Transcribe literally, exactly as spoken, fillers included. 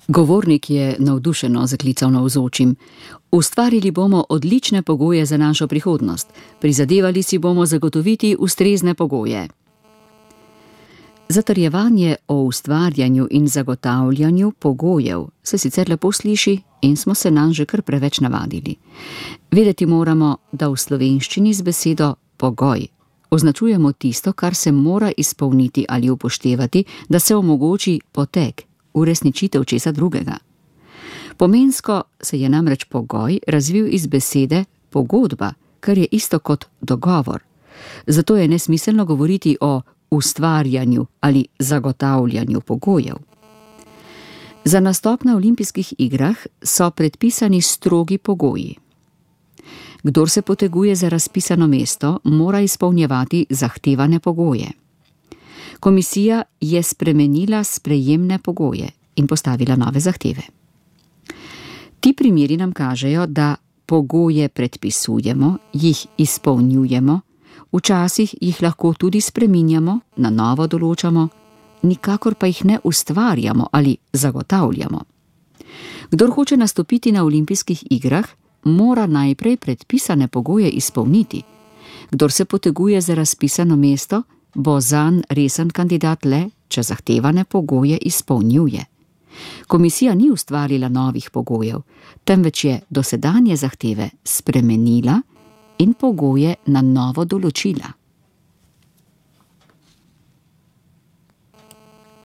Govornik je navdušeno zaklical navzočim. Ustvarili bomo odlične pogoje za našo prihodnost. Prizadevali si bomo zagotoviti ustrezne pogoje. Zatrjevanje o ustvarjanju in zagotavljanju pogojev se sicer lepo sliši in smo se nanj že kar preveč navadili. Vedeti moramo, da v slovenščini z besedo pogoj označujemo tisto, kar se mora izpolniti ali upoštevati, da se omogoči potek, uresničitev česa drugega. Pomensko se je namreč pogoj razvil iz besede pogodba, kar je isto kot dogovor. Zato je nesmiselno govoriti o ustvarjanju ali zagotavljanju pogojev. Za nastop na olimpijskih igrah so predpisani strogi pogoji. Kdor se poteguje za razpisano mesto, mora izpolnjevati zahtevane pogoje. Komisija je spremenila sprejemne pogoje in postavila nove zahteve. Ti primeri nam kažejo, da pogoje predpisujemo, jih izpolnjujemo, včasih jih lahko tudi spreminjamo, na novo določamo, nikakor pa jih ne ustvarjamo ali zagotavljamo. Kdor hoče nastopiti na olimpijskih igrah, mora najprej predpisane pogoje izpolniti. Kdor se poteguje za razpisano mesto, bo zanj resen kandidat le, če zahtevane pogoje izpolnjuje. Komisija ni ustvarila novih pogojev, temveč je dosedanje zahteve spremenila in pogoje na novo določila.